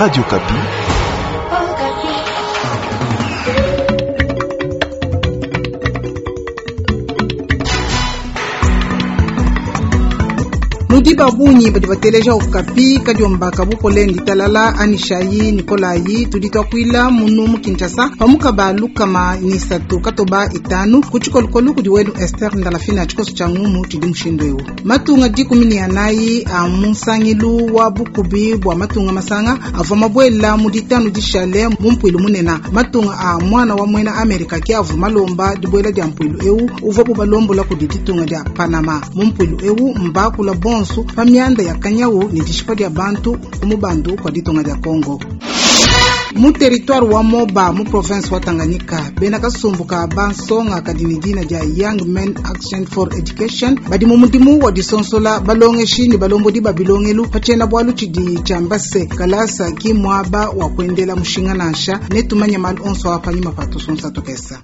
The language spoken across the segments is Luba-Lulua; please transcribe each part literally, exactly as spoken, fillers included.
Radio Okapi. Nudi ba bungi badi bateleja Okapi kadiomba kabupole nditalala anishayi nikolayi tudi twakuila munu mu Kinshasa pamuka ba lukama ni satu katoba itanu ku tshikolokolo kudi wenu Esther Ndalafina tshikoso tshia ngumu tshidi mushindu eu matunga dikumi ne anayi a mu nsangilu wa bukubi bua matunga masanga avua mabuela mu ditanu dishale mu mpuilu munena matunga a mwana wa mwena Amerika ke avua malomba dibuela dia mpuilu eu uvua bubalombola kudi ditunga dia Panama mu mpuilu eu mbakula bonso pa mianda ya kanyawu ne dishipa dia bantu ku mubandu kwa ditunga dia Congo. Mu territoire wa Moba mu province wa Tanganyika bena kasumbu ka bansonga kadi ne dina dia Young Men Action for Education badi mu mudimu wa disonsola balongeshi ne balombodi ba bilongelu pa tshiena bualu tshidi tshiamba se kalasa ki muaba wa kuendela mushinga nansha netumanye malu onso a panyima pa tusonsa tukesa.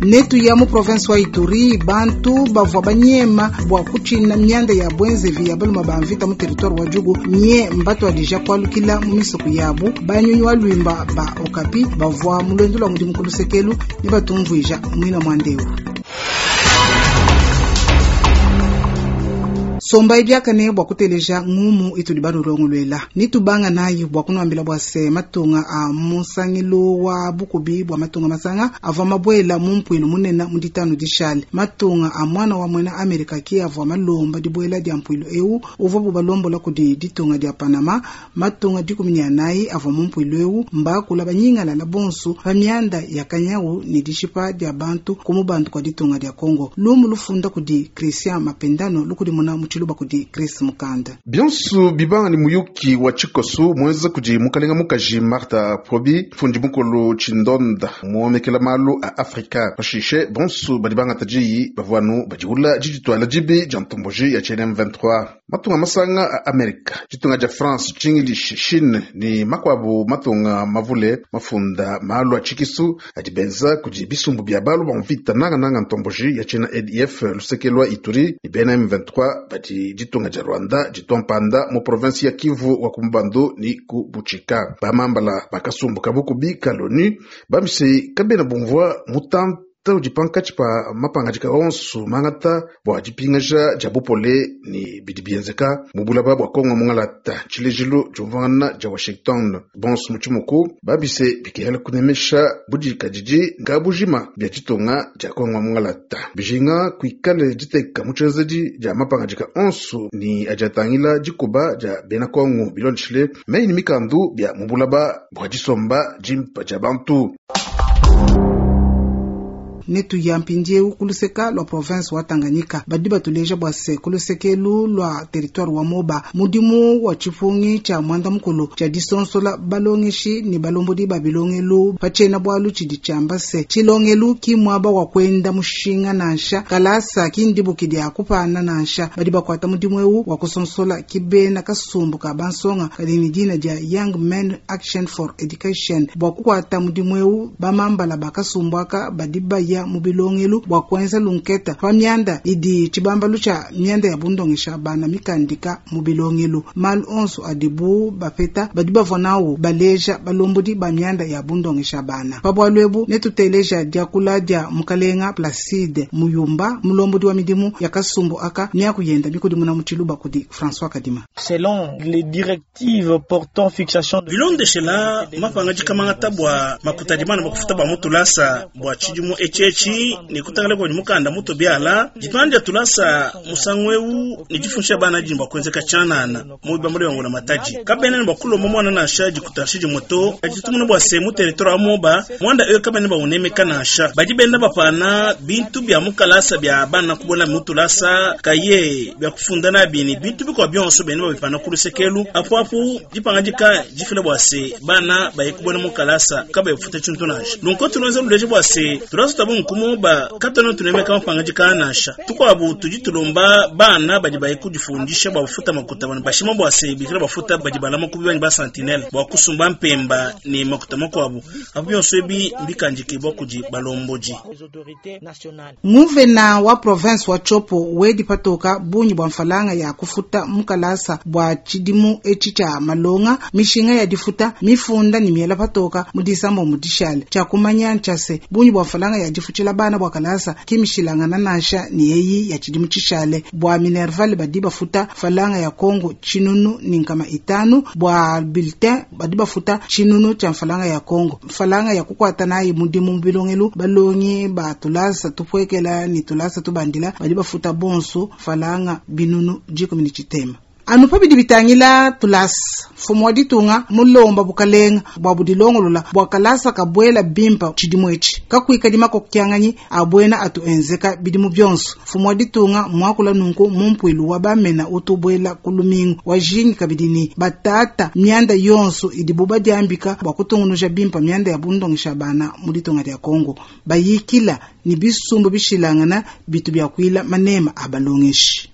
Netu ya mu province wa Ituri bantu bavua banyema bua kutshina mianda ya bwenzevi ya baluma ba mvita mu territoire wa Djugu nye mbatuadija kualukila mu misoko yabu banyunyi wa lwimba ba Okapi bavua mu lwendo lwa mudimu ku lusekelu ne batumvuija mwina mwandeu. Somba ibiakane bua kuteleja ngumu itudi balulongolwela nitubanga nayi bua kunuambila bua se matunga a musangilu wa bukubi bua matunga masanga avua mabuela mu mpuilu munene mu ditanu dishale matunga a mwana wa mwena Amerika ki avua malomba dibuela dia mpuilu eu uvua bubalombola kudi ditunga dia Panama matunga dikumi ne anayi avua mu mpuilu eu mbakula banyingalala bonso pa mianda ya kanyawu ne dishipa dia bantu ku mubandu kwa ditunga dia Congo lumu lufunda kudi Christian Mapendano lukudimuna mu kudi Chris Mukanda. Bionso bibanga ni muyuki wa tshikoso muenza kudi mukalenga mukaji Martha Probi fundi mukulu tshindonda muomekela malu a Afrika pashishe bonso badi bangata diyi bavuanu badiwula diditwala dibi dia ntomboji ya C N M vingt-trois matunga masanga a Amerika ditunga dia France Chinglish Chine ni makwabu matunga mavule mafunda malu a tshikisu adi benza kudi bisumbu bia balu ba mvita nanga nanga ntomboji ya C N A D F lusekelwa Ituri ni B N M vingt-trois badi ditunga dia Rwanda ditompanda mu province ya Kivu wa kumbandu ni ku Buchika bamambala bakasumbuka bukubi kaloni bamise kabena bumvua mutanta udi pankatshi pa mapangadika onso mangata bua dipingaja dia bupole ni bidi bienzeka mu bulaba bua Kongo mungalata tshilejilu diumvuangana dia Washington bonso mu tshimuku babise bikehela kunemesha budikadidi nga bujima bia ditunga dia Kongo mungalata bijinga kuikale diteka mu tshienzedi dia mapangadika onso ni adiatangila dikuba dia bena Kongo bilondeshile meyi ni mikandu bia mu bulaba bua disomba dimpa dia bantu. Netu ya mpindieu kuluseka lwa province wa Tanganyika badi batuleja bua se kulusekelu lwa territoire wa Moba mudimu wa tshipungi tshia mwanda mukulu tshia disonsola balongeshi ne balombodi ba bilongelu pa tshiena bualu tshidi tshiamba se tshilongelu ki muaba wa kuenda mushinga nansha kalasa ki ndibuki dia kupana nansha badi bakuata mudimu eu wa kusonsola kibena kasumbu ka bansonga kadi ne dina dia Young Men Action for Education bua kukuata mudimu eu bamambala bakasumbu aka badi baya mu bilongelu bua kuenza lunketa pa mianda idi tshibambalu tshia mianda ya bundongesha bana mikandika mu bilongelu malu onso adibu bapeta badi bavua nawu baleja balombodi ba mianda ya bundongesha bana pa bualu ebu netuteleja diakula dia mukalenga Placide Muyumba mulombodi wa midimu ya kasumbu aka miaku yenda mikudimuna mu tshiluba kudi François Kadima. Selon les directives portant fixation de bilondeshela mapangadika mangata bua makutadimana bakufuta ba mutulasa bua tshidimu etshi ni kutangala kwa mukanda muto biala ditwanja tulasa musangu eu ni difunsha bana jimba kuenzeka chanana mu bamuli wangu mataji kabene ni bakulo mwana na shaji kutashiji moto ajitumuna bwa semu territoire amoba mwanda eu kabene ba unemeka na sha baji benda bapana bintu bya mukalasa bya bana kubona mutulasa kaye bya kufunda na bini bintu biko byonso bene babipana kulusekelu apo apo dipangajika jifila bwa se bana bayikubona mukalasa kabe futa chintu nasha lunko tulonze luleje bwa se tulasa bungi kumoba katona tunemeka mapangadika anasha tukwabu tudi tulomba bana badi baye kudifundisha bua bafuta makuta bana bashima bua se bikala bafuta badi balama kubi banyi ba sentinelle bua kusumba mpemba ne makuta makuabu apo bionso ebi mbikandikibwa kudi balomboji. Nguvena wa province wa Tshopo wedi patoka bunyi bua mfalanga ya kufuta mukalasa bua tshidimu etshi tshia malonga mishinga ya difuta mifunda ni miela patoka mu disambo mu dishale tshia kumanya ntshase bunyi bua mfalanga ya difutshila bana bua kalasa kimishilangana nansha ni eyi ya tshidimu tshishale bua minerval badi bafuta falanga ya Kongo tshinunu ni nkama itanu bua bulletin badi bafuta tshinunu tshia mfalanga ya Kongo mfalanga ya kukwata nayi mudimu mu bilongelu balongi ba tulasa tupwekela ni tulasa tubandila badi bafuta bonso falanga binunu dikumi ni tshitema anu pa bidi bitangila tulasa mfumu wa ditunga mulomba bukalenga bua budilongolola bua kalasa kabuela bimpa tshidimu etshi kakuikadi makokyanganyi abuena atu enzeka bidimu bionso mfumu wa ditunga muakula nunku mumpuilu wa bamena utubuela ku lumingu wa jingi kabidi ni batata mianda yonso idibu badiambika bua kutungunuja bimpa mianda ya bundongesha bana mu ditunga dia Kongo bayikila ni bisumbu bishilangana bitu byakuila manema abalongeshi.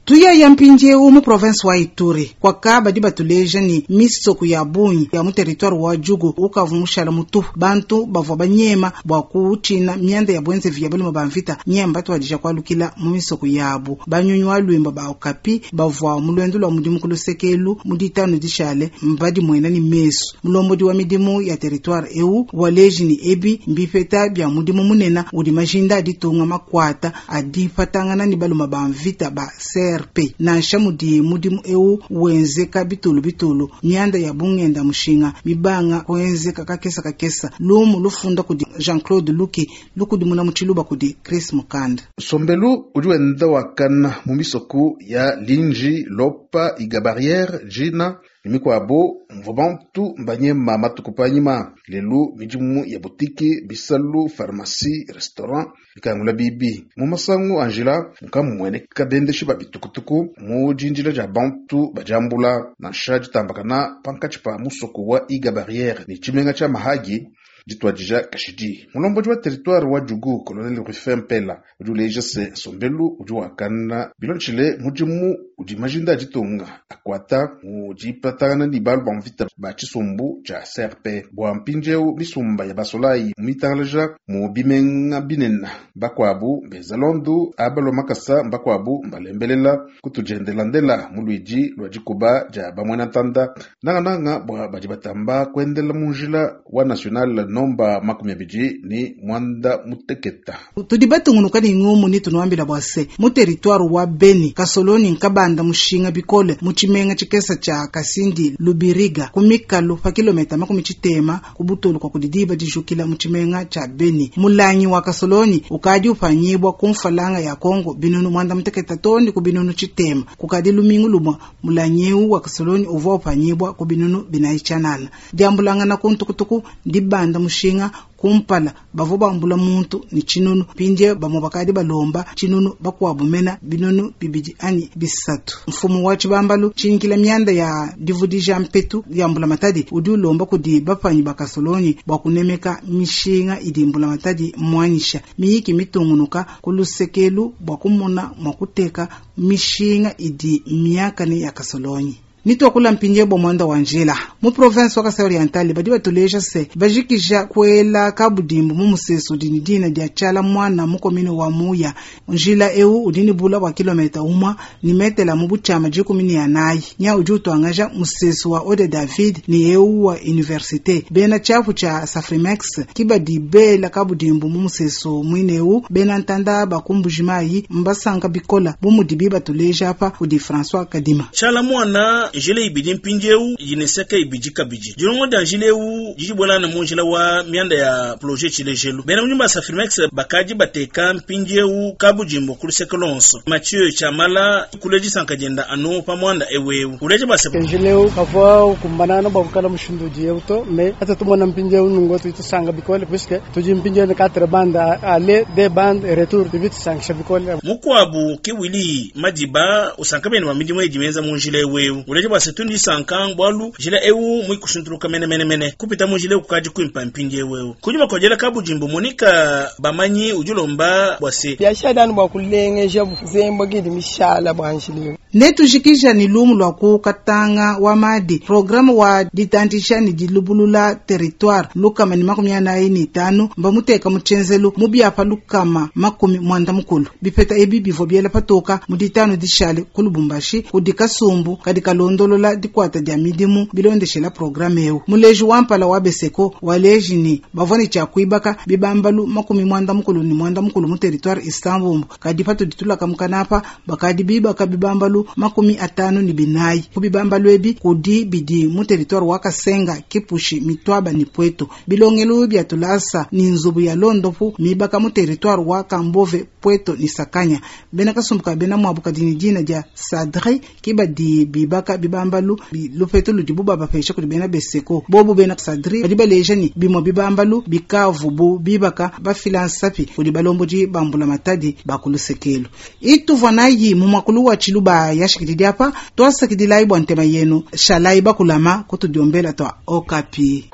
Tuyaya mpindieu mu province wa Ituri kwaka badi batuleja ni misoko ya bungi ya mu territoire wa Djugu ukavu mushala mutupu bantu bavua banyema bua kuutshina mianda ya bwenzevi ya baluma ba mvita nyema batuadija kualukila mu misoko yabu banyunyi lwimba ba Okapi bavua mu lwendo lwa mudimu ku lusekelu mu ditanu dishale mbadi muena ni mesu mulombodi wa midimu ya territoire eu waleji ni ebi mbipeta bya mudimu munena udi majinda aditunga makwata adipatangana ni baluma ba mvita ba C R P nansha mudi mudimu eu wenzeka bitulu bitulu mianda ya bungenda mushinga mibanga kuenzeka kakesa kakesa lumu lufunda kudi Jean-Claude Luki lukudimuna mu tshiluba kudi Chris Mukanda. Sombelu udi wenda wakana mu misoku ya Linji, Lopa, Iga Barrière, Jina mikwabo mvua bantu mbanyema matuku panyima lelu midimu ya butiki bisalu pharmacie restaurant bikangula bibi mu masangu Angela mukamweneka bendeshi ba bitukutuku mu jinjila ja bantu bajambula nansha ditambakana pankatshi pa musoko wa Iga Barrière ni tshimenga tshia Mahagi ditwadija kashidi mulombodi wa territoire wa Djugu colonel Rufin Mpela udi uleja se nsombelu udi wakana bilonshile mudimu udi majinda aditunga akwata mu dipatangana ni balu ba mvita ba tshisumbu tshia C R P bua mpindieu misumba ya basolayi mitangalaja mu bimenga binene bakwabu mbezalondu abalwa makasa mbakwabu mbalembelela kutujendelandela mu lwidi lwa dikuba dia bamwena ntanda nangananga bua badi batamba kuendela mu njila wa national nomba makumi abidi ni mwanda muteketa. Tudi batungunuka ni ngumu ni tunuambila bua se mu territoire wa Beni Kasoloni nkabanda mushinga bikole mu tshimenga tshikesa tshia Kasindi Lubiriga ku mikalu pa kilometa makumi tshitema ku butulu kwa kudidiba dijukila mu tshimenga tshia Beni mulangi wa Kasoloni ukadi upanyibwa ku mfalanga ya Kongo binunu mwanda muteketa toni ku binunu tshitema kukadi lumingu lumwa mulangi eu wa Kasoloni uvua upanyibwa ku binunu binayi tshianana diambulangana ku ntukutuku ndibanda mushinga kumpala bavua bambula muntu ni tshinunu pindie bamwe bakadi balomba tshinunu bakuabu mena binunu bibidi ani bisatu mfumu wa tshibambalu tshinkila mianda ya divudija mpetu ya mbulamatadi udi ulomba kudi bapanyi ba Kasoloni bua kunemeka mishinga idi mbulamatadi muanyisha miyiki mitungunuka ku lusekelu bua kumona mua kuteka mishinga idi miakane ya Kasoloni. Nitwakula mpindie bwa mwanda wa njila mu province wa Kasai Oriental badi batuleja se bajikija kuela kabudimbu mu musesu udi ni dina dia tshiala mwana mu komine wa Muya njila eu udi ni bula bua kilometa umwa ni metela mu butshama dikumi ni anayi nya udi utuangaja musesu wa Ode David ni eu wa université bena tshiapu tshia Safrimex kibadi bela kabudimbu mu musesu mwine eu bena ntanda bakumbujimayi mbasanka bikola bumudibi batuleja apa kudi François Kadima. Tshiala mwana njila ibidi mpindieu yineseka ibidi kabidi dilongo dia njila eu didibwelana mu njila wa mianda ya projet tshilejelu bena munyumba ya Safrimex bakadi bateka mpindieu kabudimbo ku luseke lonso Mathieu Tshiamala kule disanka dienda anu pa muanda eweu uleje base njila eu kavua ukumbanana bua kukala mushindu udiye to mais ata tumona mpindieu nungo tuitusanga bikole puisque tudi mpindieu ni quatre bandes aller deux bandes retour tubi tusangisha bikole mukuabu ke Wili Madiba usanka bene ba midimu edimenza mu njila eweu Tuleje bua se tundi sanka bwalu jila eu mwikushintuluka menemenemene kupita mujile kukadi kuimpa mpindi eu kunyuma kwa jela kabujimbo Monika Bamanyi ujulomba bua se biashara bua kulengeja zembo gidi mishala bua njileu netujikija ni lumu lwa kukatanga wa madi programu wa ditandisha ni dilubulula territoire lukama ni makumi anayi ni tanu mbamuteka muchenzelu mubiapa lukama makumi mwanda mukulu bipeta ebi bivua biela patoka mu ditanu dishale ku Lubumbashi kudi kasumbu kadi kalondolola dikwata dia midimu bilondeshela programu eu muleji wampala wa beseko waleji ni bavua ni tshia kuibaka bibambalu makumi mwanda mukulu ni mwanda mukulu mu territoire Istanbul kadi patudi tulaka mukanapa bakadi bibaka bibambalu makumi atanu ni binayi kubibambalu ebi kudi bidi mu territoire wa Kasenga Kipushi Mitwaba ni Pweto bilongelu bya tulasa ni nzubu ya londopu mibaka mu territoire wa Kambove Pweto ni Sakanya bena kasumbuka bena mwabu kadi ni dina dia Sadri kibadi bibaka bibambalu lupeto ludibu babapesha kudi bena beseko bobu bena Sadri badi baleja ni bimwe bibambalu bikavu bu bibaka bafila nsapi kudi balombodi bambula matadi bakulusekelo ituvua nayi mu mwakulu wa Tshiluba yashikilidi apa twasakidilai bua ntema yenu shalayi bakulama kutudiombela twa Okapi.